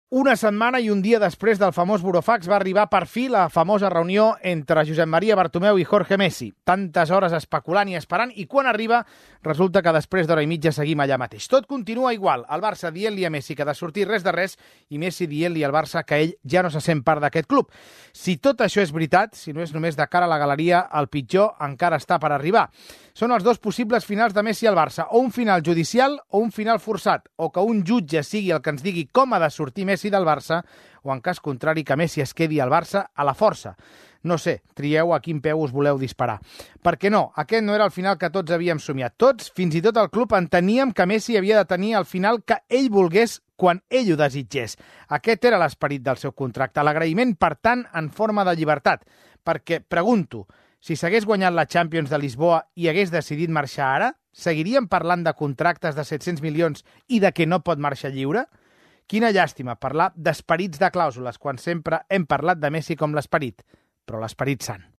Una setmana i un dia després del famós burofax va arribar per fi la famosa reunió entre Josep Maria Bartomeu i Jorge Messi. Tantes hores especulant i esperant, i quan arriba resulta que després d'hora i mitja seguim allà mateix. Tot continua igual, el Barça dient-li a Messi que ha de sortir res de res i Messi dient-li al Barça que ell ja no se sent part d'aquest club. Si tot això és veritat, si no és només de cara a la galeria, el pitjor encara està per arribar. Són els dos possibles finals de Messi al Barça, o un final judicial o un final forçat, o que un jutge sigui el que ens digui com ha de sortir Messi del Barça, o en cas contrari que Messi es quedi al Barça a la força. No sé, trieu a quin peu us voleu disparar. Perquè no, aquest no era el final que tots havíem somiat. Tots, fins i tot el club, enteníem que Messi havia de tenir el final que ell volgués quan ell ho desitgés. Aquest era l'esperit del seu contracte, l'agraïment, per tant, en forma de llibertat. Perquè, pregunto, si s'hagués guanyat la Champions de Lisboa i hagués decidit marxar ara, seguiríem parlant de contractes de 700 milions i de que no pot marxar lliure? Quina llàstima parlar d'esperits de clàusules quan sempre hem parlat de Messi com l'esperit, però l'esperit sant.